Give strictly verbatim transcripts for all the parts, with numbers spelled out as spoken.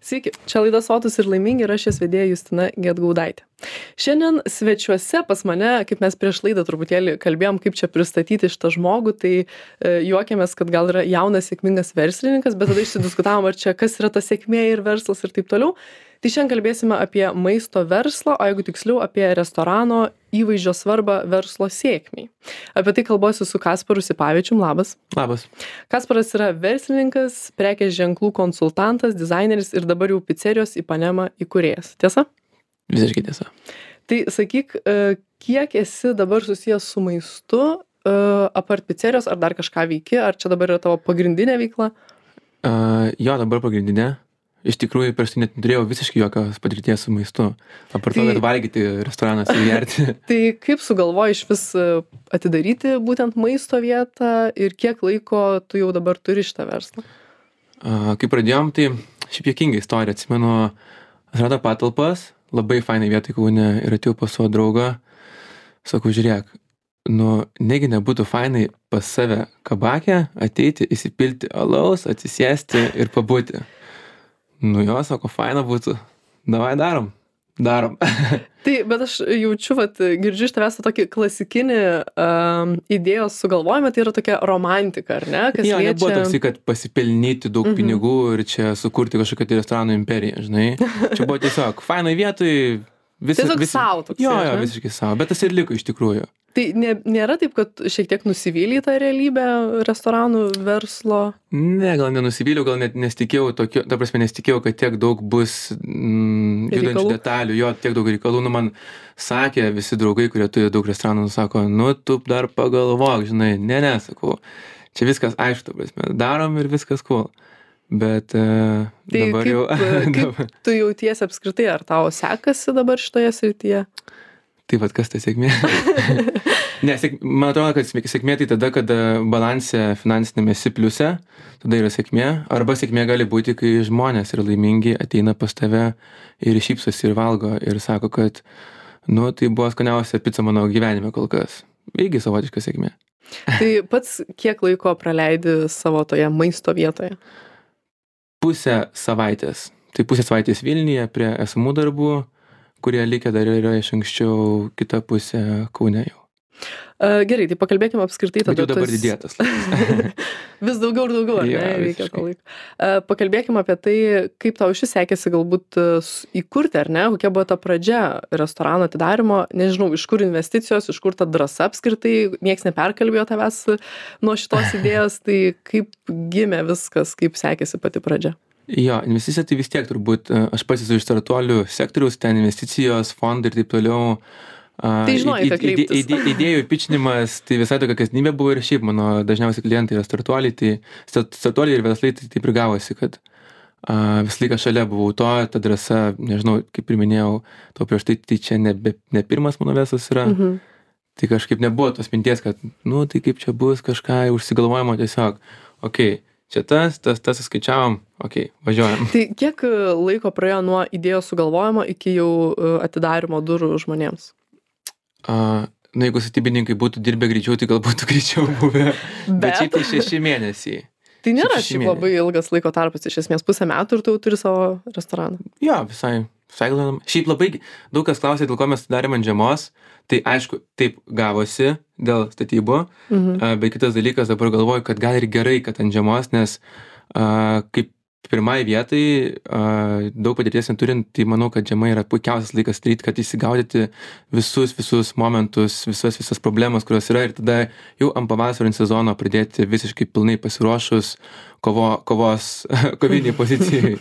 Sveiki, čia laida Sotūs ir laimingi ir aš jos vedėja Justina Gedgaudaitė. Šiandien svečiuose pas mane, kaip mes prieš laidą truputėlį kalbėjom, kaip čia pristatyti šitą žmogų, tai e, juokėmės, kad gal yra jaunas sėkmingas verslininkas, bet tada išsidiskutavom, ar čia kas yra ta sėkmė ir verslas ir taip toliau. Tai šiandien kalbėsime apie maisto verslą, o jeigu tiksliau apie restorano įvaizdžio svarbą verslo sėkmiai. Apie tai kalbuosiu su Kasparu Sipavičium. Labas. Labas. Kasparas yra verslininkas, prekės ženklų konsultantas, dizaineris ir dabar jau picerijos Ipanema įkūrėjas. Tiesa? Visiškai tiesa. Tai sakyk, kiek esi dabar susijęs su maistu, apart picerijos, ar dar kažką veiki, ar čia dabar yra tavo pagrindinė veikla? Uh, jo, dabar pagrindinė. Iš tikrųjų, prieš tai net neturėjau visiškai jokios patirties su maistu. Apart to, Tai- kad valgyti restoranuose ir gerti. Tai kaip sugalvoji iš vis atidaryti būtent maisto vietą ir kiek laiko tu jau dabar turi šitą verslą? Uh, kai pradėjom, tai šiaip juokinga istorija. Atsimenu, atrado patalpas, labai fainai vietoj Kaune ir atėjau pas savo draugą. Sakau, žiūrėk, nu, negi nebūtų fainai pas save kabakę ateiti, įsipilti alaus, atsisėsti ir pabūti. Nu jo, sako, faina būtų. Davai darom. Darom. Tai, bet aš jaučiu, vat, girdžiu iš tavęs tą tokį klasikinį um, idėjos sugalvojimą, tai yra tokia romantika, ar ne? Kas Jo, nebuvo liečia... toksai, kad pasipelnyti daug Mhm. pinigų ir čia sukurti kažkokią tai restoranų imperiją, žinai. Čia buvo tiesiog fainai vietoj. Visi, Tiesiog visi, sau toksai, Jo, ar jo, ne? visiškai savo. Bet tas ir liko iš tikrųjų. Tai nė, nėra taip, kad šiek tiek nusivyliai tą realybę restoranų verslo? Ne, gal nenusivyliau, gal net nesitikėjau tokio, ta prasme nesitikėjau, kad tiek daug bus mm, judančių Reikalų? detalių, jo, tiek daug reikalų. Nu, man sakė visi draugai, kurie turi daug restoranų, sako, nu, tu dar pagalvok, žinai, ne, ne, sakau, čia viskas aišku, ta prasme, darom ir viskas cool. Bet uh, Tai dabar kaip, jau... kaip tu jautiesi apskritai, ar tau sekasi dabar šitoje srityje? Tai vat kas ta sėkmė? ne, sėk, man atrodo, kad sėk- sėkmė tai tada, kada balanse finansinėme esi pliuse, tada yra sėkmė. Arba sėkmė gali būti, kai žmonės yra laimingi, ateina pas tave ir šypsosi ir valgo ir sako, kad nu, tai buvo skaniausia pica mano gyvenime kol kas. Irgi savotiška sėkmė. Tai pats kiek laiko praleidi savo toje maisto vietoje? Pusę savaitės. Tai pusę savaitės Vilniuje prie esamų darbų, kurie likę dar yra iš anksčiau, kita pusė Kaune jau. Uh, gerai, tai pakalbėkime apskritai Bet tada. jau dabar tas- didėtas. Vis daugiau ir daugiau, ar Jo, ne, reikia visiškai. to laiko. Uh, pakalbėkime apie tai, kaip tau šis sekėsi galbūt uh, s- įkurti, ar ne, kokia buvo ta pradžia restorano atidarimo, nežinau, iš kur investicijos, iš kur ta drąsa apskritai, nieks neperkalbėjo tavęs nuo šitos idėjos, tai kaip gimė viskas, kaip sekėsi pati pradžia. Jo, investicija tai vis tiek turbūt, e, aš pats esu iš startuolių sektoriaus, ten investicijos, fondai ir taip toliau. A, Tai žinojai, id- ką id- kreiptis. ide- Idėjų pičinimas, tai visai tokia kasdienybė buvo ir šiaip mano dažniausiai klientai yra startuoliai, tai start- startuoliai ir verslai tai taip ir gavosi, kad a, visą laiką šalia buvau to, ta drąsa, nežinau, kaip ir minėjau, to prieš tai, tai čia ne, be- ne pirmas mano verslas yra. Mhm. Tai kažkaip nebuvo tos minties, kad, nu, tai kaip čia bus kažką užsigalvojimo tiesiog, okei, okay, čia tas, tas, tas skaičiavom, okei, okay, važiuojam. Tai kiek uh, laiko praėjo nuo idėjos sugalvojimo iki jau uh, atidarimo durų žmonėms? A, na, jeigu statybininkai būtų dirbę greičiau, tai gal būtų greičiau buvę. Bet, Bet- bet šiaip tai šeši mėnesiai. Tai nėra Šeši šiaip mėnesiai. labai ilgas laiko tarpas, iš esmės pusę metų ir tu jau turi savo restoraną. Jo, visai, visai gal. Šiaip labai daug kas klausė, dėl ko mes darėm ant žiemos. Tai aišku, taip gavosi dėl statybų. Mhm. A, bet kitas dalykas, dabar galvoju, kad gal ir gerai, kad ant žiemos, nes a, kaip pirmai vietai, a, daug patirties neturint, tai manau, kad žiema yra puikiausias laikas daryti, kad įsigaudyti visus, visus momentus, visas, visas problemas, kurios yra ir tada jau ant pavasario sezono pradėti visiškai pilnai pasiruošus kovo, kovos, koviniai pozicijai.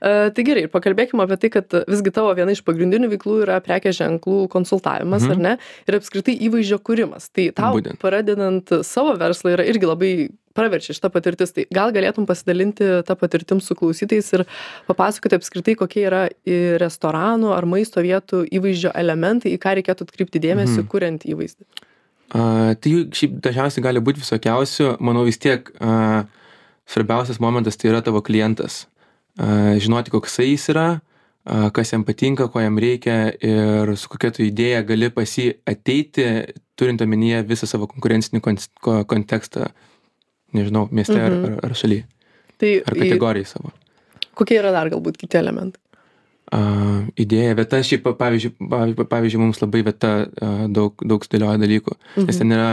Uh, tai gerai, ir pakalbėkime apie tai, kad visgi tavo viena iš pagrindinių veiklų yra prekės ženklų konsultavimas, Mhm. ar ne? Ir apskritai įvaizdžio kūrimas. Tai tau Būtent. pradedant savo verslą yra irgi labai praverčia šita patirtis. Tai gal galėtum pasidalinti tą patirtim su klausytais ir papasakoti apskritai, kokie yra į restoranų ar maisto vietų įvaizdžio elementai, į ką reikėtų atkreipti dėmesį, Mhm. kuriant įvaizdį. A, tai jų šiaip dažniausiai gali būti visokiausių. Manau vis tiek a, svarbiausias momentas tai yra tavo klientas. A, žinoti, koksai jis yra, a, kas jam patinka, ko jam reikia ir su kokia tu idėja gali pas jį ateiti, turint omenyje visą savo konkurencinį kon- ko- kontekstą, nežinau, mieste Mhm. ar, ar, ar šaly, Tai ar į- kategorijai savo. Kokie yra dar galbūt kiti elementai? Uh, idėja, vieta, šiaip, pavyzdžiui, pavyzdžiui, pavyzdžiui, mums labai vieta uh, daug, daug sudėlioja dalykų. Mhm. Nes ten yra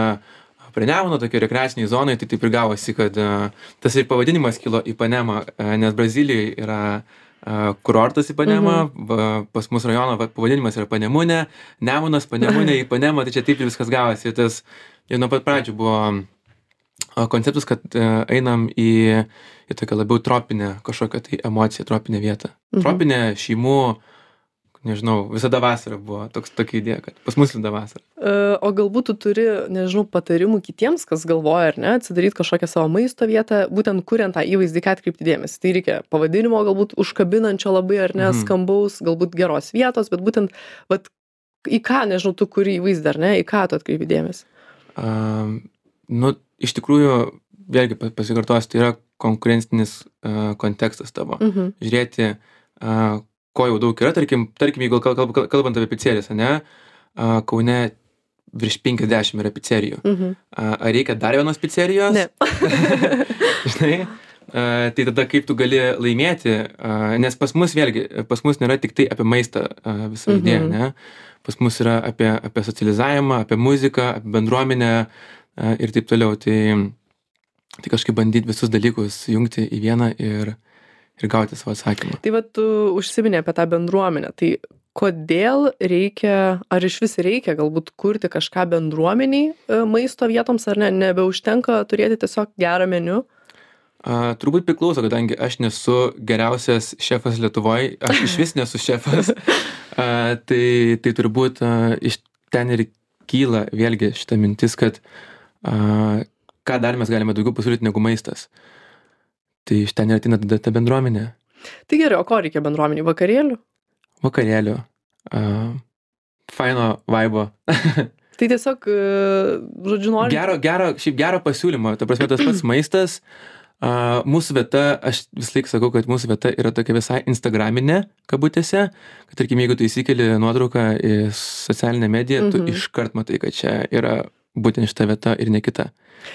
prie Nemuno, tokie rekreaciniai zonai, tai taip ir gavosi, kad uh, tas ir pavadinimas kilo Ipanema, uh, nes Brazilijoje yra uh, kurortas Ipanema, mhm. va, pas mūsų rajono va, pavadinimas yra Panemunė, Nemunas, Panemunė, Ipanema, tai čia taip ir viskas gavosi. Tas jau nuo pat pradžių buvo uh, konceptas, kad uh, einam į į tokią labiau tropinę kažkokią tai emociją, tropinę vietą. Mhm. Tropinė šeimų, nežinau, visada vasara buvo toks, tokia idėja, kad pas mus visada vasara. Uh, o galbūt tu turi, nežinau, patarimų kitiems, kas galvoja, ar ne, atsidaryti kažkokią savo maisto vietą, būtent kuriant tą įvaizdį, ką atkreipti dėmesį. Tai reikia pavadinimo, galbūt užkabinančio labai, ar ne, mhm. skambaus, galbūt geros vietos, bet būtent, vat, į ką, nežinau, tu kuri įvaizdį, ar ne, į ką tu atkreipi dėmesį? Uh, nu, iš tikrųjų, vėlgi pasikartosiu, tai yra konkurencinis uh, kontekstas tavo. Mhm. Žiūrėti, uh, ko jau daug yra, tarkim, tarkim jeigu kalb, kalb, kalbant apie pizzerijas, ne, uh, Kaune virš penkiasdešimt yra pizzerijų. Mhm. Uh, ar reikia dar vienos pizzerijos? Ne. Žinai, uh, tai tada kaip tu gali laimėti, uh, nes pas mus vėlgi, pas mus nėra tik tai apie maistą uh, visą mhm. idėją, ne? Pas mus yra apie, apie socializavimą, apie muziką, apie bendruomenę uh, ir taip toliau. Tai Tai kažkaip bandyti visus dalykus jungti į vieną ir, ir gauti savo atsakymą. Tai va, tu užsiminė apie tą bendruomenę. Tai kodėl reikia, ar iš vis reikia galbūt kurti kažką bendruomeniai maisto vietoms, ar ne? Nebeužtenka turėti tiesiog gerą meniu? A, turbūt priklauso, kadangi aš nesu geriausias šefas Lietuvoje, aš iš vis nesu šefas. A, tai, tai turbūt a, iš ten ir kyla vėlgi šita mintis, kad a, ką dar mes galime daugiau pasiūlyti negu maistas. Tai iš ten ir ateina tada ta bendruomenė. Tai gerai, o ko reikia bendruomeniai? Vakarėlių? Vakarėlių. Uh, faino vaibo. Tai tiesiog, uh, žodžiu, nori... Gero, gero, šiaip gero pasiūlymo. Ta prasme, tas pats maistas. Uh, mūsų vieta, aš vis laik sakau, kad mūsų vieta yra tokia visai instagraminė, kabutėse. Kad, tarkim, jeigu tu įsikeli nuotrauką į socialinę mediją, tu mhm. iškart matai, kad čia yra būtent šita vieta ir ne kita.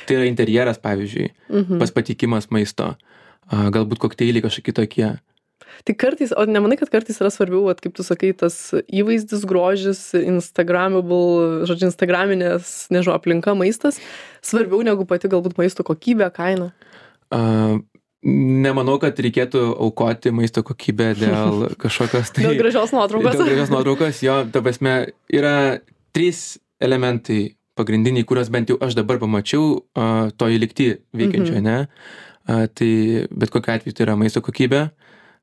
Tai yra interjeras, pavyzdžiui, mhm. pas patikimas maisto, a, galbūt kokteiliai kažkokie tokie. Tai kartais, o nemanai, kad kartais yra svarbiau, at, kaip tu sakai, tas įvaizdis, grožis, instagramable, žodžiu, instagraminės, nežinau, aplinka, maistas, svarbiau negu pati galbūt maisto kokybė, kaina? A, nemanau, kad reikėtų aukoti maisto kokybę dėl kažkokios... Tai, dėl gražios nuotraukos. Dėl gražios nuotraukos, jo, ta prasme, yra trys elementai pagrindiniai, kuriuos bent jau aš dabar pamačiau uh, toj lygty veikiančio, mhm. ne? Uh, tai bet kokiu atveju tai yra maisto kokybė,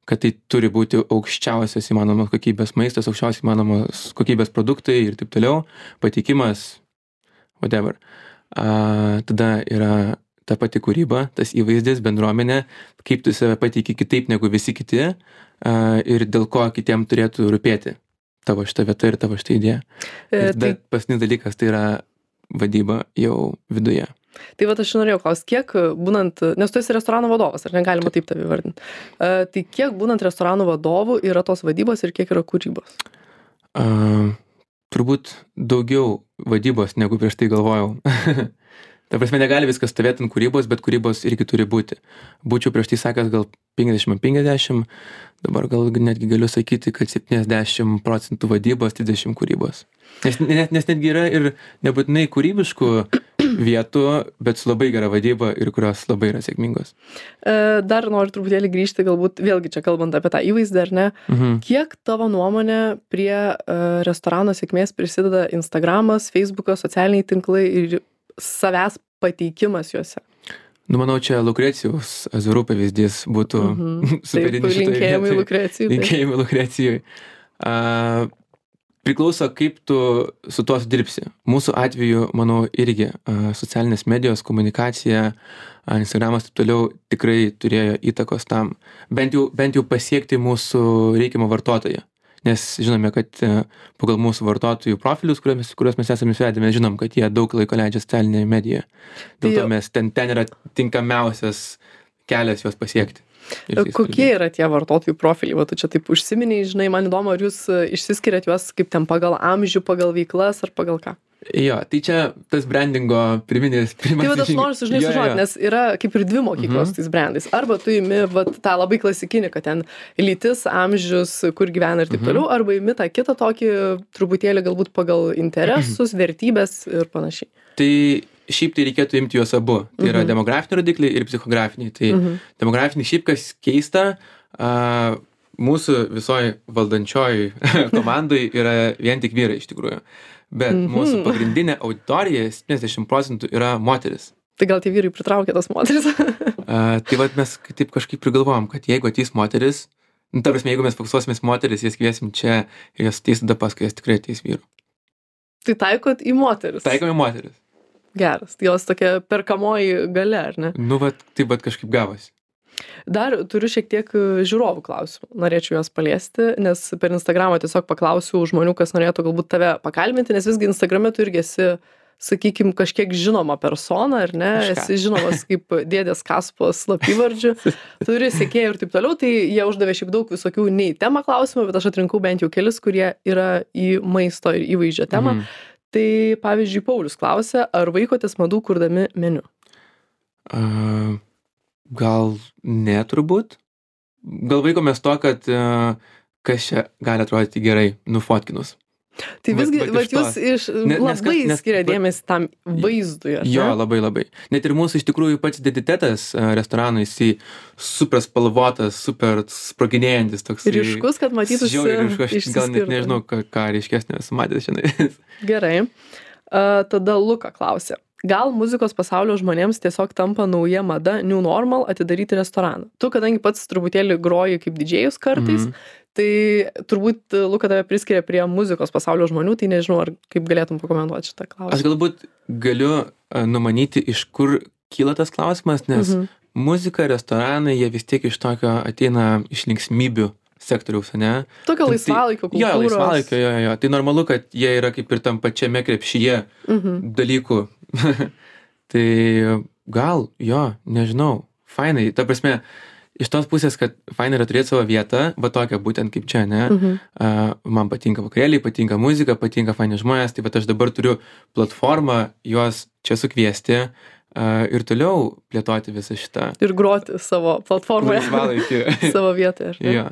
kad tai turi būti aukščiausias įmanomos kokybės maistas, aukščiausias įmanomos kokybės produktai ir taip toliau, patikimas, whatever. Uh, tada yra ta pati kūryba, tas įvaizdis, bendruomenė, kaip tu save pateiki kitaip negu visi kiti uh, ir dėl ko kitiem turėtų rūpėti tavo šita vieta ir tavo šita idėja. E, ir tai... paskutinis dalykas tai yra vadyba jau viduje. Tai va, aš norėjau klausti, kiek būnant, nes tu esi restorano vadovas, ar negalima taip tave vardinti, uh, tai kiek būnant restorano vadovų yra tos vadybos ir kiek yra kūrybos? Uh, turbūt daugiau vadybos, negu prieš tai galvojau. Ta prasme, negali viskas stovėti ant kūrybos, bet kūrybos irgi turi būti. Būčiau prieš tai sakęs gal penkiasdešimt penkiasdešimt, dabar gal netgi galiu sakyti, kad septyniasdešimt procentų vadybos, trisdešimt kūrybos. Nes, nes, nes netgi yra ir nebūtinai kūrybiškų vietų, bet su labai gera vadyba ir kurios labai yra sėkmingos. Dar noriu truputėlį grįžti, galbūt vėlgi čia kalbant apie tą įvaizdį, ar ne? Mhm. Kiek tavo nuomonė prie restorano sėkmės prisideda Instagramas, Facebookas, socialiniai tinklai ir savęs pateikimas juose? Nu, manau, čia Lukrecijos Azurų pavyzdys būtų mhm. superinis šitoje vietoje. Linkėjimai Lukrecijai. Linkėjimai Lukrecijai. Uh, priklauso, kaip tu su tuo dirbsi. Mūsų atveju, manau, irgi uh, socialinės medijos, komunikacija, uh, Instagramas taip toliau tikrai turėjo įtakos tam. Bent jau, bent jau pasiekti mūsų reikiamą vartotoją. Nes žinome, kad pagal mūsų vartotojų profilius, kuriuos, kuriuos mes esame įsivedę, mes žinom, kad jie daug laiko leidžia socialinėje medijoje. Dėl to mes ten, ten yra tinkamiausias kelias juos pasiekti. ir jais Kokie kalbėti. yra tie vartotojų profiliai? Va, tu čia taip užsiminiai, žinai, man įdomu, ar jūs e, išsiskiriat juos kaip ten pagal amžių, pagal veiklas ar pagal ką? Jo, tai čia tas brandingo pirminis, Tai pirmas. va, aš noriu sužinai sužinoti, nes yra kaip ir dvi mokyklos Mhm. tais brandais. Arba tu imi va, tą labai klasikinį, kad ten lytis, amžius, kur gyvena ir taip Mhm. toliau, arba imi tą kitą tokį truputėlį galbūt pagal interesus, vertybės ir panašiai. Tai šiaip tai reikėtų imti juos abu. Tai yra Mhm. demografiniai rodikliai ir psichografiniai. Tai Mhm. demografiniai šiaip kas keista, a, mūsų visoji valdančioji komandai yra vien tik vyrai iš tikrųjų. Bet Mhm. mūsų pagrindinė auditorija septyniasdešimt procentų yra moteris. Tai gal tie vyrai pritraukia tas moteris? A, tai vat mes taip kažkaip prigalvojom, kad jeigu ateis moteris, nu, ta prasme, jeigu mes fokusuosimės moteris, jas kviesim čia ir jas ateis tada paskui, jas tikrai ateis vyrų. Tai taikot į moteris. Taikome moteris. Geras. Tai jos tokia perkamoji gale, ar ne? Nu, vat, taip vat kažkaip gavosi. Dar turiu šiek tiek e, žiūrovų klausimų. Norėčiau juos paliesti, nes per Instagramą tiesiog paklausiau žmonių, kas norėtų galbūt tave pakalbinti, nes visgi Instagrame tu irgi esi, sakykim, kažkiek žinoma persona, ar ne? Kažką. Esi žinomas kaip dėdės Kaspos slapyvardžiu, turi sekėjų ir taip toliau, tai jie uždavė šiaip daug visokių nei temą klausimų, bet aš atrinkau bent jau kelis, kurie yra į maisto ir įvaizdžio temą. Mhm. Tai pavyzdžiui, Paulius klausė, ar vaikotės madų kurdami meniu? A, gal ne turbūt. Gal vaikomės to, kad a, kas čia gali atrodyti gerai, nufotkinus. Tai Vat- visgi, vat vat iš to. jūs iš, Ne- nes labai kas- nes- skiria vat- dėmesį tam vaizdui, ar Jo, ne? labai labai. Net ir mūsų iš tikrųjų pats identitetas a, restorano, jisai super spalvotas, super sproginėjantis toks. Ryškus, kad matytųsi. Žiauriai ryškus, aš gal net išsiskirtų. nežinau, ką, ką ryškesnio esu matęs šiandien. Gerai. A, tada Luka klausė. Gal muzikos pasaulio žmonėms tiesiog tampa nauja mada, new normal, atidaryti restoraną? Tu, kadangi pats truputėlį groji kaip didžėjus kartais, Mhm. tai turbūt Luka tave priskiria prie muzikos pasaulio žmonių, tai nežinau, ar kaip galėtum pakomentuoti šitą Aš klausimą. galbūt galiu a, numanyti, iš kur kyla tas klausimas, nes Mhm. muzika, restoranai, jie vis tiek iš tokio ateina iš linksmybių sektoriaus, ne? Tokio Tai- laisvalaikio kultūros. Jo, laisvalaikio, jo, jo. Tai normalu, kad jie yra kaip ir tam pačiame krepšyje Mhm. dalykų. Tai gal, jo, nežinau, fainai. Ta prasme, iš tos pusės, kad fainai yra turėti savo vietą, va tokią būtent kaip čia, ne? Mhm. Uh, man patinka vakarėliai, patinka muzika, patinka faini žmonės, tai va aš dabar turiu platformą juos čia sukviesti uh, ir toliau plėtoti visą šitą Ir groti savo platformoje. laisvalaikį. Savo vietoje. ar ne? Jo.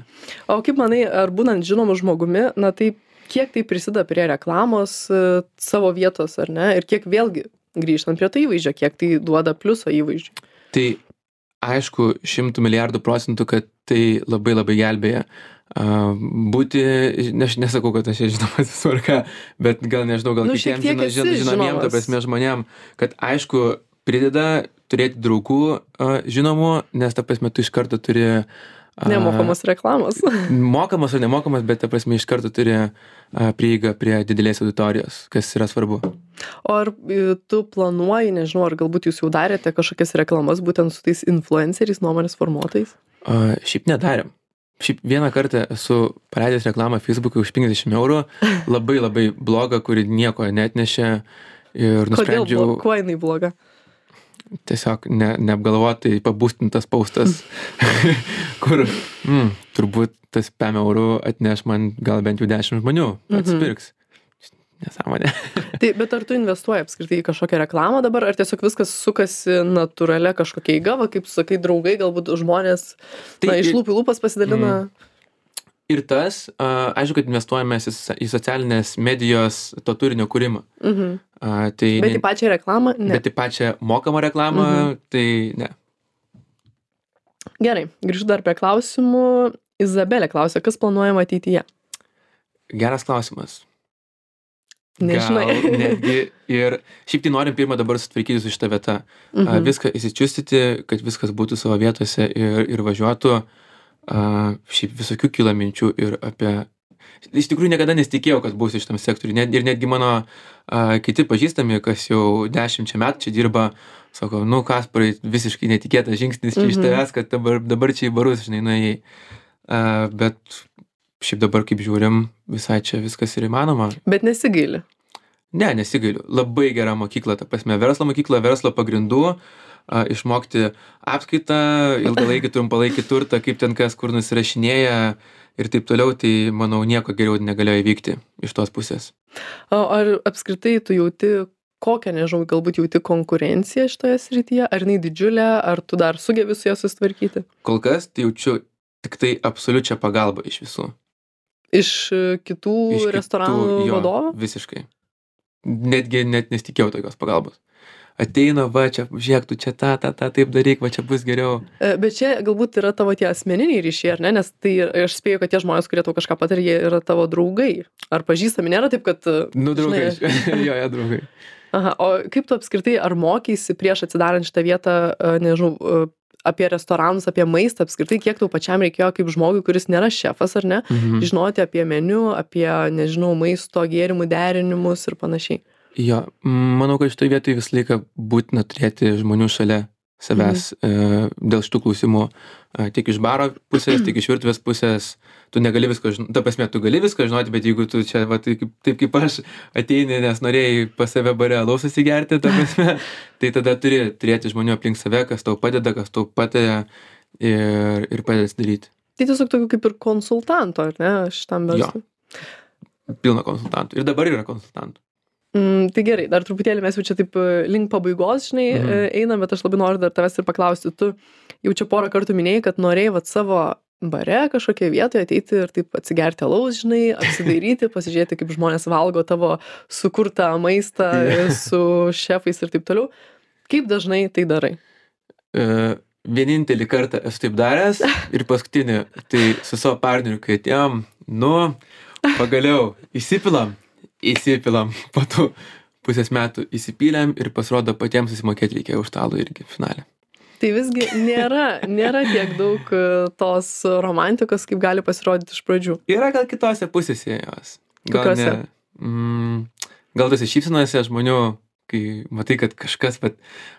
O kaip manai, ar būnant žinomu žmogumi, na tai kiek tai prisideda prie reklamos e, savo vietos, ar ne? Ir kiek vėlgi grįžtant prie to įvaizdžio, kiek tai duoda pliuso įvaizdžiui? Tai aišku, šimtų milijardų procentų, kad tai labai labai gelbėja. Uh, būti, ne, aš nesakau, kad aš čia žinomas visur ką, bet gal nežinau, gal Nu, šiek kitiems tiek žino, esi žino, žinomiem, ta žinomas. prasme, žmonėm, kad aišku, prideda turėti draugų uh, žinomų, nes ta prasme, tu iš karto turi uh, Nemokamos reklamos. mokamas ar nemokamas, bet ta prasme, iš karto turi uh, prieigą prie didelės auditorijos, kas yra svarbu. O ar e, tu planuoji, nežinau, ar galbūt jūs jau darėte kažkokias reklamas būtent su tais influenceriais, nuomonės formuotojais? Uh, šiaip nedarėm. Šiaip vieną kartą esu paleidęs reklamą Facebook'e už penkiasdešimt eurų, labai labai blogą, kuri nieko netnešė ir Kodėl? nusprendžiau blo- Kuo jinai bloga? tiesiog ne, neapgalvotai pabūstintas paustas, kur mm, turbūt tas pem eurų atneš man gal bent jau dešimt žmonių, Mhm. atsipirks. Nesąmonė. Tai, bet ar tu investuoji apskritai į kažkokią reklamą dabar, ar tiesiog viskas sukasi natūralia kažkokia eiga, va, kaip tu sakai, draugai, galbūt žmonės Tai na, iš ir- lūpų į lūpas pasidalina? Ir tas, a, aišku, kad investuojame į socia- į socialinės medijos to turinio kūrimą. Mhm. A, tai Bet ne- į pačią reklamą? Ne. bet į pačią mokamą reklamą, Mhm. tai ne. Gerai, grįžtu dar prie klausimų. Izabelė klausė, kas planuojama ateityje? Geras klausimas. Nežinai. Gal netgi ir šiaip tai norim pirmą dabar sutvarkyti su šitą vietą. A, Mhm. viską įsičiustyti, kad viskas būtų savo vietose ir, ir važiuotų. A, šiaip visokių kyla minčių ir apie... Iš tikrųjų niekada nesitikėjau, kad būsiu šitam sektoriui. Net, ir netgi mano a, kiti pažįstami, kas jau dešimčia metų čia dirba, sako, nu Kasparai, visiškai netikėtas žingsnis čia iš Mhm. tavęs, kad dabar, dabar čia į barus, žinai, nuėjai. A, bet šiaip dabar, kaip žiūrim, visai čia viskas ir įmanoma. Bet nesigaili. Ne, nesigailiu. Labai gera mokykla, ta prasme, verslo mokykla, verslo pagrindų, a, išmokti apskaitą, ilgalaikį, trumpalaikį turtą, kaip ten kas kur nusirašinėja ir taip toliau, tai manau nieko geriau negalėjo įvykti iš tos pusės. O ar apskritai tu jauti kokią, nežinau, galbūt jauti konkurenciją šitoje srityje, ar jinai didžiulė, ar tu dar sugebi su ją susitvarkyti? Kol kas tai jaučiu tik tai absoliučią pagalbą iš visų. Iš e, kitų Iš kitų, restoranų jo, vadovų? Visiškai. Netgi net nesitikėjau tokios pagalbos. Ateina, va, čia, žiūrėk, tu čia tą, tą, tą, taip daryk, va, čia bus geriau. E, Bet čia galbūt yra tavo tie asmeniniai ryšiai, ar ne? Nes tai aš spėju, kad tie žmonės, kurie tau kažką patarė, jie yra tavo draugai. Ar pažįstami, nėra taip, kad... e, Nu, draugai. žinai, jo, jo, draugai. Aha, o kaip tu apskritai, ar mokeisi prieš atsidarant šitą vietą, e, nežinau, e, apie restoranus, apie maistą apskritai, kiek tau pačiam reikėjo kaip žmogui, kuris nėra šefas, ar ne, Mhm. žinoti apie meniu, apie, nežinau, maisto gėrimų derinimus ir panašiai. Jo, manau, kad šitoje vietoje visą laiką būtina turėti žmonių šalia savęs e, dėl šitų klausimų. E, tiek iš baro pusės, tiek iš virtuvės pusės. Tu negali visko žinoti, ta prasme, tu gali viską žinoti, bet jeigu tu čia, va, taip, taip kaip aš ateini, nes norėjai pas save bare alaus susigerti, ta prasme, tai tada turi turėti žmonių aplink save, kas tau padeda, kas tau pataria ir, ir padeda daryti. Tai tiesiog tokių kaip ir konsultanto, ar ne, šitam Jo. verslui. Pilna konsultantų. Ir dabar yra konsultantų. Mm, tai gerai, dar truputėlį mes jau čia taip e, link pabaigos, žinai, Mhm. e, einam, bet aš labai noriu dar tavęs ir paklausti. Tu jau čia porą kartų minėjai, kad norėjai vat savo bare kažkokią vietoje ateiti ir taip atsigerti alaus, žinai, apsidairyti, pasižiūrėti, kaip žmonės valgo tavo sukurtą maistą Jo. su šefais ir taip toliau. Kaip dažnai tai darai? E, vienintelį kartą esu taip daręs ir paskutinį, tai su savo partneriu, kai atėjom, nu, pagaliau įsipilam, įsipilam, po tų pusės metų įsipylėm ir pasirodo patiems susimokėti reikėjo už stalo irgi finale. Tai visgi nėra, nėra tiek daug e, tos romantikos, kaip gali pasirodyti iš pradžių. Yra gal kitose pusėse jos. Gal Kokiose? ne, mm, gal tose šypsenose žmonių, kai matai, kad kažkas, vat,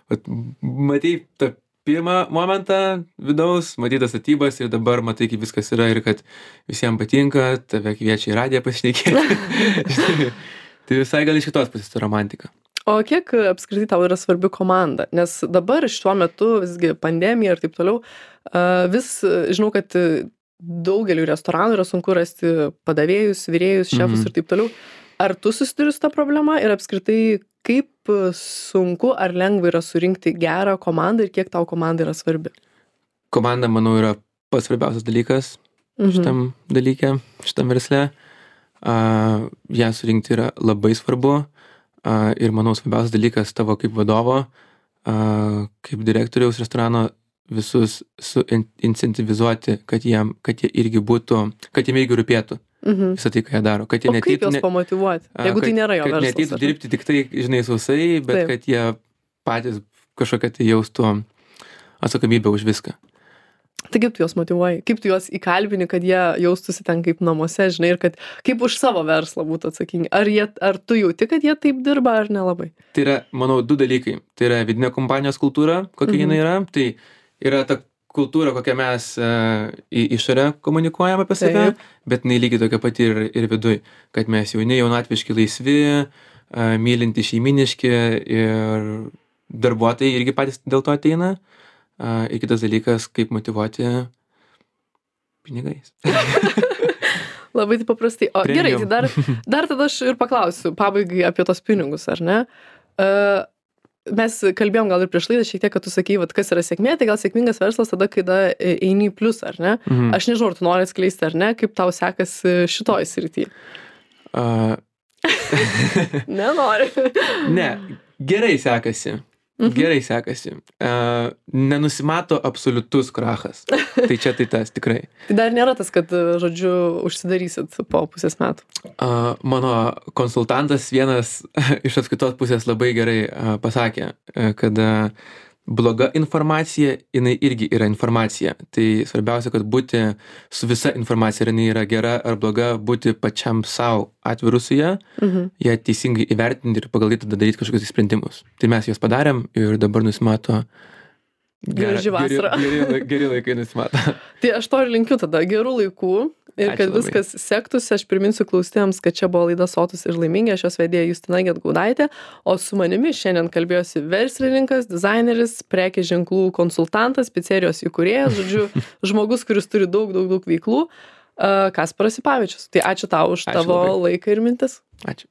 vat, matai tą pirmą momentą vidaus, matai tas statybas ir dabar matai, kaip viskas yra ir kad visiems patinka, tave kviečia į radiją pasišnekėti. Tai visai gal iš kitos pusės ta romantika. O kiek e, apskritai tau yra svarbi komanda? Nes dabar šiuo metu visgi pandemija ir taip toliau, e, vis e, žinau, kad e, daugeliu restoranų yra sunku rasti padavėjus, virėjus, šefus Mhm. ir taip toliau. Ar tu susiduri su ta problema ir apskritai kaip e, sunku ar lengva yra surinkti gerą komandą ir kiek tau komanda yra svarbi? Komanda, manau, yra pats svarbiausias dalykas Mhm. šitam dalyke, šitam versle. Uh, ją surinkti yra labai svarbu uh, ir manau svarbiausias dalykas tavo kaip vadovo, uh, kaip direktoriaus restorano visus suincentivizuoti, kad jiem, kad jie irgi būtų, kad jiem irgi rūpėtų Mhm. visą tai, ką jie daro. Kad jie O kaip neateitų, juos ne, pamotyvuoti, a, jeigu tai kad- nėra jo kad verslas? neateitų ar ne? dirbti tik tai, žinai, sausai, bet Taip. kad jie patys kažkokią tai jaustų atsakomybę už viską. Tai kaip tu juos motyvuoji? Kaip tu juos įkalbini, kad jie jaustųsi ten kaip namuose, žinai, ir kad kaip už savo verslą būtų atsakingi? Ar, jie, ar tu jauti, kad jie taip dirba, ar nelabai? Tai yra, manau, du dalykai. Tai yra vidinė kompanijos kultūra, kokia Mhm. jinai yra. Tai yra ta kultūra, kokią mes uh, į išorę komunikuojam apie save, Taip. bet jinai lygiai tokia pati ir, ir viduj. Kad mes jauni, jaunatviški, laisvi, uh, mylinti, šeiminiški ir darbuotojai irgi patys dėl to ateina. Uh, ir kitas dalykas, kaip motyvuoti pinigais. Labai taip paprastai. O gerai, tai Premium. dar, dar tada aš ir paklausiu pabaigai apie tos pinigus, ar ne? Uh, mes kalbėjom gal ir prieš laidą šiek tiek, kad tu sakei, vat, kas yra sėkmė, tai gal sėkmingas verslas tada, kai da, eini į pliusą, ar ne? Mhm. Aš nežinau, ar tu nori atskleisti, ar ne, kaip tau sekasi šitoj srity. Uh, Nenori. ne, gerai sekasi. Mhm. Gerai sekasi. Uh, nenusimato absoliutus krachas. Tai čia tai tas, tikrai. Tai dar nėra tas, kad, žodžiu, užsidarysit po pusės metų. Uh, mano konsultantas vienas iš atskaitos pusės labai gerai uh, pasakė, uh, kad uh, bloga informacija, jinai irgi yra informacija. Tai svarbiausia, kad būti su visa informacija, ar jinai yra gera ar bloga, būti pačiam savo atviru su ją, Mhm. ją teisingai įvertinti ir pagal tai tada daryti kažkokius sprendimus. Tai mes juos padarėm ir dabar nusimato graži vasara. Geri, geri, geri laikai nusimato. Tai aš to ir linkiu tada gerų laikų ir Ačiū kad labai. viskas sektųsi. Aš priminsiu klausytojams, kad čia buvo laida Sotūs ir laimingi, aš jos vedėja Justina Gedgaudaitė, o su manimi šiandien kalbėjosi verslininkas, dizaineris, prekės ženklų konsultantas, picerijos įkūrėjas, žodžiu, žmogus, kuris turi daug, daug, daug veiklų, uh, Kasparas Sipavičius. Tai ačiū tau už Ačiū tavo labai. laiką ir mintis. Ačiū.